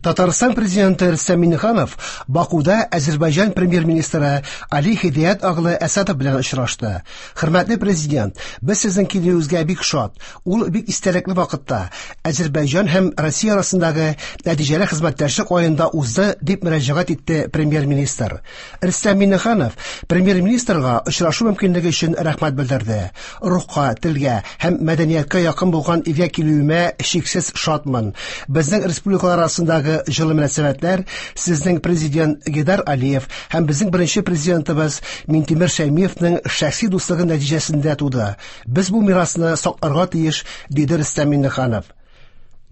Татарстан президенты Рөстәм Миңнеханов Бакуда Әзербайҗан премьер-министры Али Хидият оглы Әсадов белән очрашты. Хөрмәтле президент, без сезнең килүегезгә бик шат. Ул бик истәлекле вакытта Әзербайҗан һәм Россия арасындагы нәтиҗәле хезмәттәшлек аенда узды, дип мөрәҗәгать итте премьер-министр. Рөстәм Миңнеханов премьер-министрга очрашу мөмкинлеге өчен рәхмәт белдерде. Рухка, телгә һәм мәдәнияткә якын булган илгә килүемә чиксез шатмын. Безнең республикалар арасындагы җылы мөнәсәбәтләр сезнең президент Гейдар Алиев һәм безнең беренче президентыбыз Минтимер Шәймиевның шәхси дуслыгы нәтиҗәсендә туды. Без бу мирасны сакларга тиеш, диде Рөстәм Миңнеханов.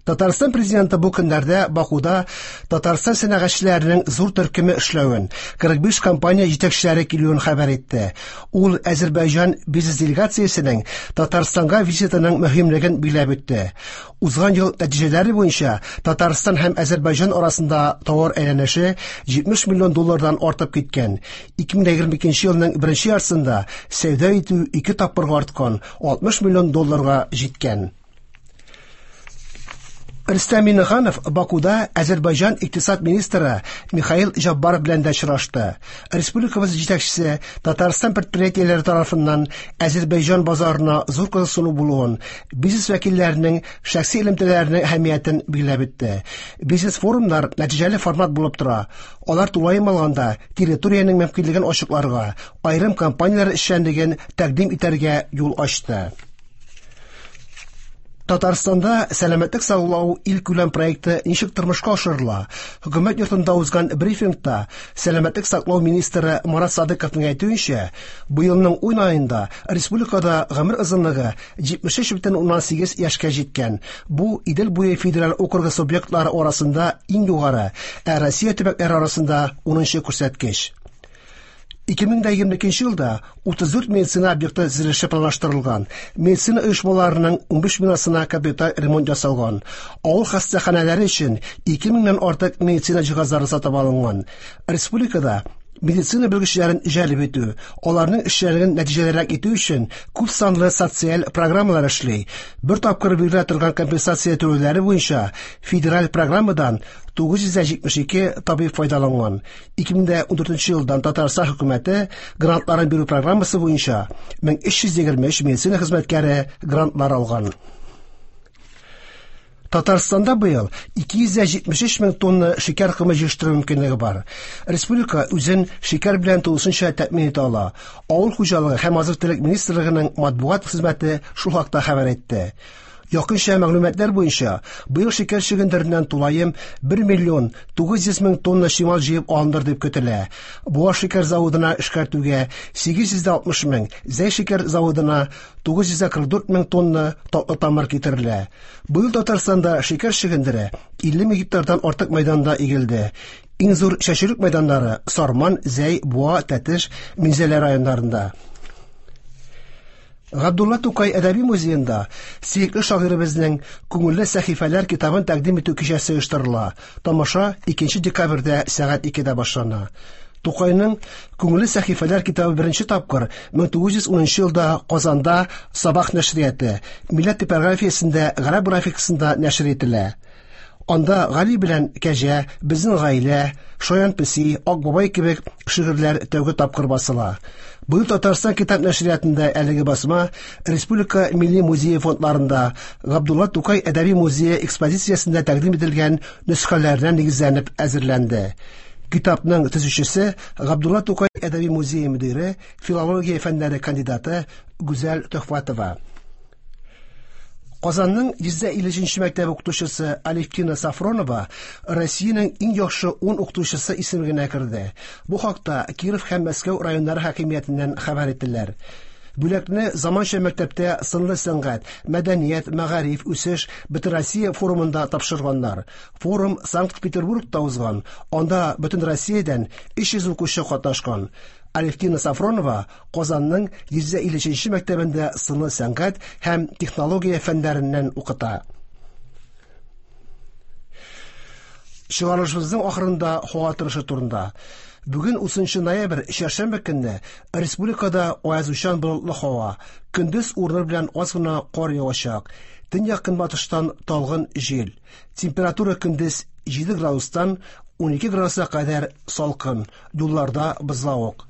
Татарстан президенты бу көннәрдә Бакуда Татарстан сәнәгатьчеләренең зур төркеме эшләвен, 45 компания җитәкчеләре килүен хәбәр итте. Ул Әзербайҗан бизнес делегациясенең Татарстанга визитының мөһимлеген билгеләп үтте. Узган ел нәтиҗәләре буенча Татарстан һәм Әзербайҗан арасында товар әйләнеше 70 миллион доллардан артып киткән. 2022 елның беренче яртысында сәүдә итү ике тапкырга арткан, 60 миллион долларга җиткән. Рөстәм Миңнеханов Бакуда Әзербайҗан икътисад министры Михаил Җаббаров белән дә очрашты. Республикабыз җитәкчесе Татарстан предприятиеләре тарафыннан Әзербайҗан базарына зур кызыксыну булуын, бизнес вәкилләренең шәхси элемтәләренең әһәмиятен билгеләп үтте. Бизнес-форумнар нәтиҗәле формат булып тора. Алар тулаем алганда территориянең мөмкинлеген ачыкларга, аерым компанияләр эшчәнлеген тәкъдим итәргә юл ачты. Татарстанда сәламәтлек саклау илкүләм проекты ничек тормышка ашырыла? Хөкүмәт йортында узган брифингта сәламәтлек саклау министры Марат Садыковның әйтүенчә, быелның 10 аенда республикада гомер озынлыгы 73,8 яшькә җиткән. Бу Идел буе федераль округы субъектлары арасында иң югары, ә Россия төбәкләре арасында 10 күрсәткеч. 2022 елда 34 медицина объекты төзелеше планлаштырылган. Медицина оешмаларының 15 бинасына капиталь ремонт ясалган. Авыл хастаханәләре өчен 2000-нән артык медицина җиһазлары сатып алынган. Республикада медицина белгечләрен җәлеп итү, аларның эшчәнлеген нәтиҗәлерәк итү өчен күп санлы социаль программалар эшли. Бер тапкыр бирелә торган компенсация түләүләре буенча федераль программадан 972 табиб файдаланган. 2014 елдан Татарстан хөкүмәте грантларын бирү программасы буенча 1323 медицина хезмәткәре грантлар алган. Татарстанда быел 273 мең тонна шикәр комы җыештыру мөмкинлеге бар. Республика үзен шикәр белән тулысынча тәэмин итә ала. Авыл хуҗалыгы һәм азык-төлек министрлыгының матбугат хезмәте шул хакта хәбәр итте. Якынча мәгълүматлар буенча, быел шикәр чөгендереннән тулаем 1 миллион 900 мең тонна чимал җыеп алыныр дип көтелә. Буа шикәр заводына эшкәртүгә 860 мең, Зәй шикәр заводына 944 мең тонна татлы тамыр китерелә. Быел Татарстанда шикәр чөгендере 50 мең гектардан артык мәйданда игелде. Иң зур чәчүлек мәйданнары Сарман, Зәй, Буа, Тәтеш, Минзәлә районнарында. Габдулла Тукай әдәби музеенда сөекле шагыйребезнең Күңелле сәхифәләр китабын тәкъдим итү кичәсе оештырыла. Тамаша 2 декабрьдә сәгать 2дә башлана. Тукайның Күңелле сәхифәләр китабы беренче тапкыр 1910 елда Казанда Сабах нәшрияты, Милләт типографиясендә гарәп графикасында нәшер ителә. Анда Гали белән Кәҗә, Безнең гаилә, Шаян песи, Ак бабай кебек шигырьләр тәүге тапкыр басыла. Быел Татарстан китап нәшриятында әлеге басма Республика Милли музее фондларында Габдулла Тукай әдәби музее экспозициясендә тәкъдим ителгән нөсхәләренә нигезләнеп әзерләнде. Китапның төзүчесе Габдулла Тукай әдәби музее мөдире, филология фәннәре кандидаты Гүзәл Төхвәтова. Казанның 153 мәктәп укытучысы Алевтина Сафронова Россиянең иң яхшы 10 укытучысы исемлегенә керде. Бу хакта Киров һәм Мәскәү районнары хакимиятеннән хәбәр иттеләр. Бүләкне заманча мәктәптә сынлы сәнгать, мәдәният, мәгариф, үсеш Бөтенроссия форумында тапшырганнар. Форум Санкт-Петербургта узган. Анда бөтен Россиядән 300 укучы катнашкан. Алевтина Сафронова Казанның 153 мәктәбендә сыны сәнгать һәм технология фәннәреннән укыта. Чыгарылышыбызның ахырында һава торышы турында. Бүген 30 ноябрь, чәршәмбе көнне республикада аязучан болытлы һава. Көндез урыны белән аз гына кар явачак. Төньяк-көнбатыштан талгын җил. Температура көндез 7 градустан 12 градуска кадәр салкын, юлларда бозлавык.